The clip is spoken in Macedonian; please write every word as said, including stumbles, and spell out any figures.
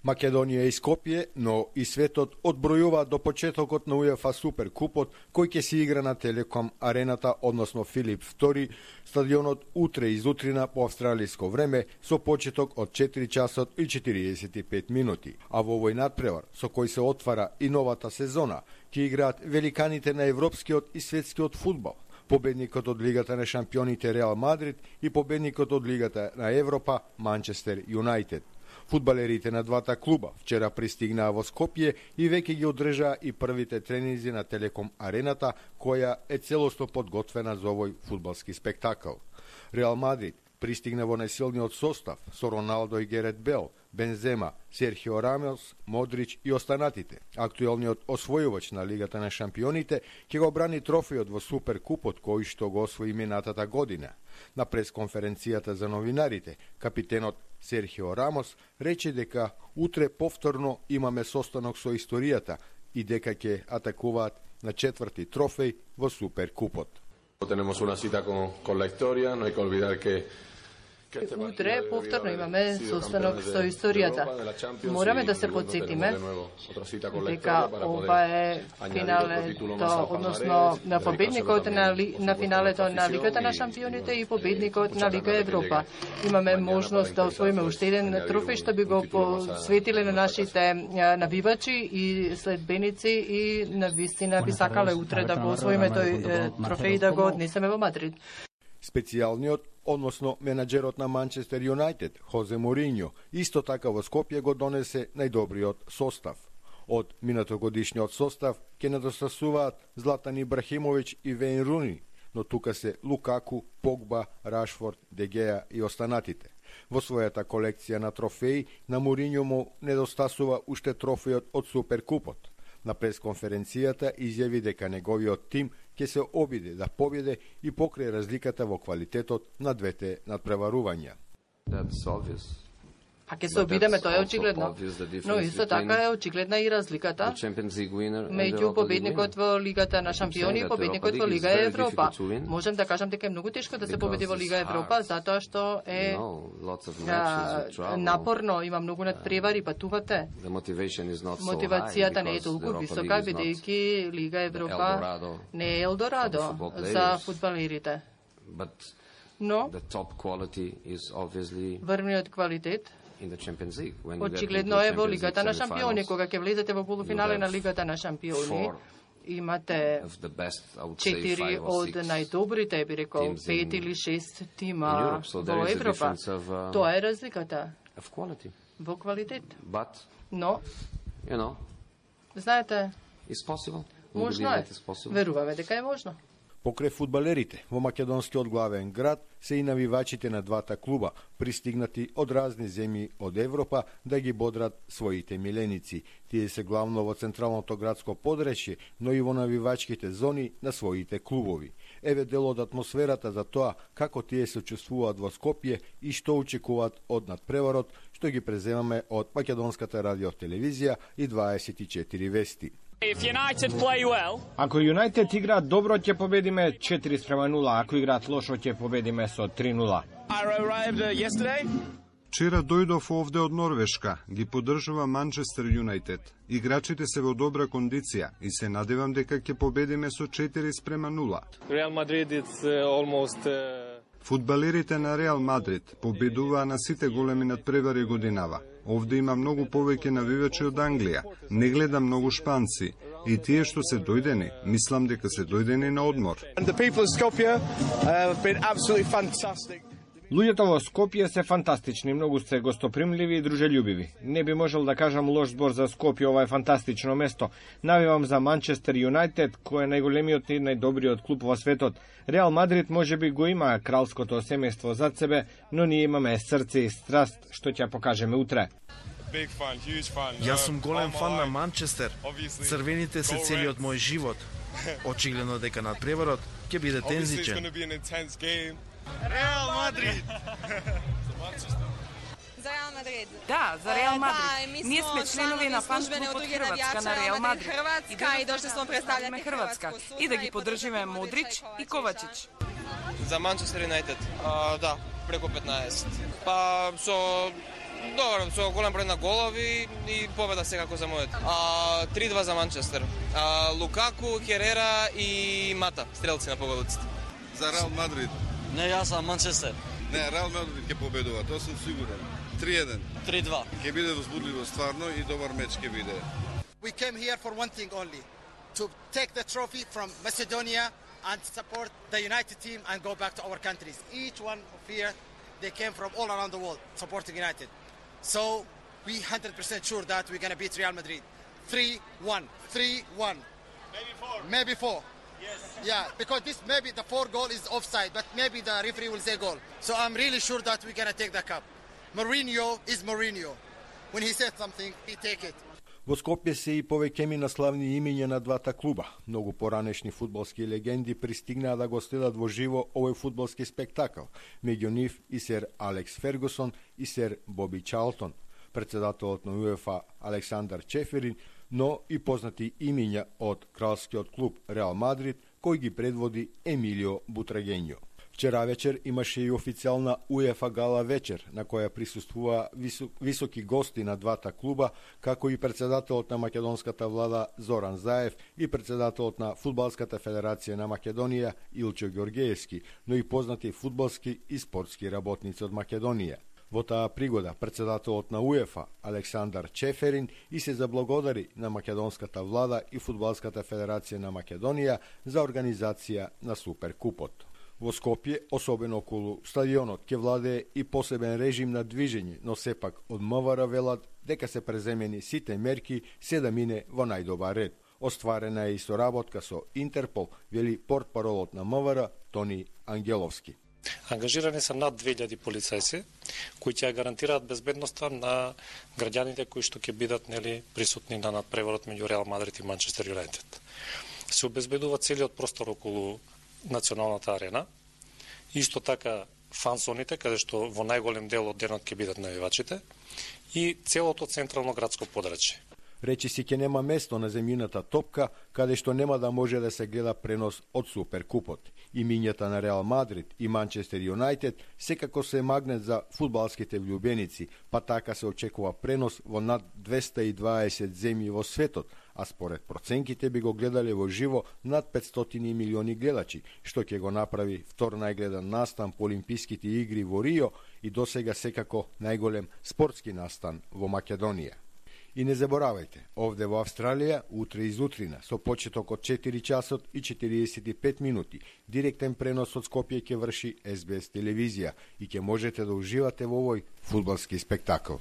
Македонија и Скопје, но и светот одбројува до почетокот на УЕФА Суперкупот, кој ќе се игра на Телеком Арената, односно Филип втори, стадионот утре изутрина по австралиско време, со почеток од четири часот и четириесет и пет минути. А во овој надпревар, со кој се отвара и новата сезона, ќе играат великаните на европскиот и светскиот фудбал, победникот од Лигата на шампионите Реал Мадрид и победникот од Лигата на Европа Манчестер Юнајтед. Фудбалерите на двата клуба вчера пристигнаа во Скопје и веќе ги одржаа и првите тренинзи на Телеком Арената, која е целосно подготвена за овој фудбалски спектакл. Реал Мадрид пристигна во најсилниот состав со Роналдо и Герет Бел, Бензема, Серхио Рамос, Модрич и останатите. Актуелниот освојувач на Лигата на шампионите ќе го брани трофејот во Суперкупот кој што го освои минатата година. На пресконференцијата за новинарите, капитенот Серхио Рамос рече дека утре повторно имаме состанок со историјата и дека ќе атакуваат на четврти трофеј во Суперкупот. Tenemos una cita con, con la historia, no hay que olvidar que Утре повторно имаме состанок со историјата. Мораме да се подсетиме дека ова е финалето, односно на победникот на, ли, на финалето на Лигата на шампионите и победникот на Лига Европа. Имаме можност да освоиме уште еден трофеј што би го посветиле на нашите навивачи и следбеници и на вистина би сакале утре да го освоиме тој трофеј и да го однесеме во Мадрид. Специјалниот, односно менаџерот на Манчестер Юнајтед, Хозе Моринјо, исто така во Скопје го донесе најдобриот состав. Од минатогодишниот состав ќе недостасуваат Златан Ибрахимовиќ и Вејн Руни, но тука се Лукаку, Погба, Рашфорд, Дегеа и останатите. Во својата колекција на трофеи, на Моринјо му недостасува уште трофејот од Суперкупот. На пресконференцијата изјави дека неговиот тим ќе се обиде да победе и покрај разликата во квалитетот на двете надпреварувања. А ќе се обидеме, тоа е очигледно. Но исто така е очигледна и разликата меѓу победникот во Лигата на шампиони и победникот во Лига Европа. Можем да кажам дека е многу тешко да се победи во Лига Европа, затоа што е а, напорно, има многу надпревари, патувате. Мотивацијата не е толку висока, бидејќи Лига Европа не е Елдорадо за фудбалерите. Но врвниот квалитет очигледно е во Лигата на шампиони. Кога ќе влезете во полуфинале на Лигата на шампиони, имате четири од најдобрите, би рекол, пет или шест тима во Европа. Тоа е разликата во квалитет. Но, знаете, можно е. Веруваме дека е можно. Покрај фудбалерите, во македонскиот главен град се и навивачите на двата клуба, пристигнати од разни земји од Европа да ги бодрат своите миленици. Тие се главно во централното градско подречје, но и во навивачките зони на своите клубови. Еве дел од атмосферата за тоа како тие се чувствуваат во Скопје и што очекуваат од надпреварот, што ги преземаме од Македонската радиотелевизија и дваесет и четири вести. Ако Юнајтед играат добро, ќе победиме четири спрема нула, ако играат лошо, ќе победиме со три нула. Вчера дојдов овде од Норвешка, ги поддржува Манчестер Юнајтед. Играчите се во добра кондиција и се надевам дека ќе победиме со четири спрема нула. Реал Мадрид is almost Фудбалерите на Реал Мадрид победуваа на сите големи надпревари годинава. Овде има многу повеќе навивачи од Англија. Не гледам многу шпанци. И тие што се дојдени, мислам дека се дојдени на одмор. Луѓето во Скопје се фантастични, многу се гостопримливи и дружелюбиви. Не би можел да кажам лош збор за Скопје, ова е фантастично место. Навивам за Манчестер Юнајтед, кој е најголемиот и најдобриот клуб во светот. Реал Мадрид може би го има кралското семејство зад себе, но ние имаме срце и страст, што ќе покажеме утре. Јас сум голем фан на Манчестер. Црвените се целиот мој живот. Очигледно дека надпреварот ќе биде тензичен. Реал Мадрид! За Реал Мадрид. Да, за Реал Мадрид. Ние сме членови на фан клубот Хрватска на Реал Мадрид. И дошли сме представljati Хрватска и да ги поддржиме Модрич и Ковачич. За Манчестер Юнајтед. Да, преку петнаесет. Па со Добро, со голем број на голови и победа секако за мојот. А, три два за Манчестер. А, Лукаку, Херера и Мата, стрелци на погодиците. За Реал Мадрид. Не, јас сам Манчестер. Не, Реал Мадрид ќе победува, тоа сум сигурен. три еден. три два. Ќе биде возбудливо стварно и добар меч ќе биде. We came here for one thing only, to take the trophy from Macedonia and support the United team and go back to our countries. Each one of here, they came from all around the world supporting United. So we one hundred percent sure that we're going to beat Real Madrid. three one. three one. Maybe four. Maybe four. Yes. Yeah, because this maybe the four goal is offside, but maybe the referee will say goal. So I'm really sure that we're going to take the cup. Mourinho is Mourinho. When he said something, he take it. Во Скопје се и повеќе на славни имиња на двата клуба. Многу поранешни фудбалски легенди пристигнаа да го следат во живо овој фудбалски спектакл. Меѓу нив и сер Алекс Фергусон и сер Боби Чарлтон, председателот на УЕФА Александар Чеферин, но и познати имиња од кралскиот клуб Реал Мадрид, кој ги предводи Емилио Бутрагењо. Вчера вечер имаше и официјална УЕФА гала вечер, на која присуствува високи гости на двата клуба, како и председателот на македонската влада Зоран Заев и председателот на Фудбалската федерација на Македонија Илчо Ѓоргеевски, но и познати фудбалски и спортски работници од Македонија. Во таа пригода, председателот на УЕФА Александар Чеферин и се заблагодари на македонската влада и Фудбалската федерација на Македонија за организација на Суперкупот. Во Скопје, особено околу стадионот, ќе владее и посебен режим на движење, но сепак од МВР велат дека се преземени сите мерки се да мине во најдобар ред. Остварена е и соработка со Интерпол, вели портпаролот на МВР Тони Ангеловски. Ангажирани се над две илјади полицајци кои ќе гарантираат безбедноста на граѓаните кои што ќе бидат нели присутни на надпреварот меѓу Реал Мадрид и Манчестер Юнайтед. Се обезбедува целиот простор околу националната арена. Исто така фансоните, каде што во најголем дел од денот ќе бидат навивачите, и целото централно градско подрачје. Речи си ќе нема место на земјината топка, каде што нема да може да се гледа пренос од Суперкупот. Имињата на Реал Мадрид и Манчестер Юнайтед секако се магнет за фудбалските влюбеници, па така се очекува пренос во над двеста и дваесет земји во светот, а според проценките би го гледале во живо над петстотини милиони гледачи, што ќе го направи втор најгледан настан по Олимписките игри во Рио и досега секако најголем спортски настан во Македонија. И не заборавајте, овде во Австралија, утре изутрина, со почеток од четири часот и четириесет и пет минути, директен пренос од Скопје ќе врши Ес Би Ес телевизија и ќе можете да уживате во овој фудбалски спектакл.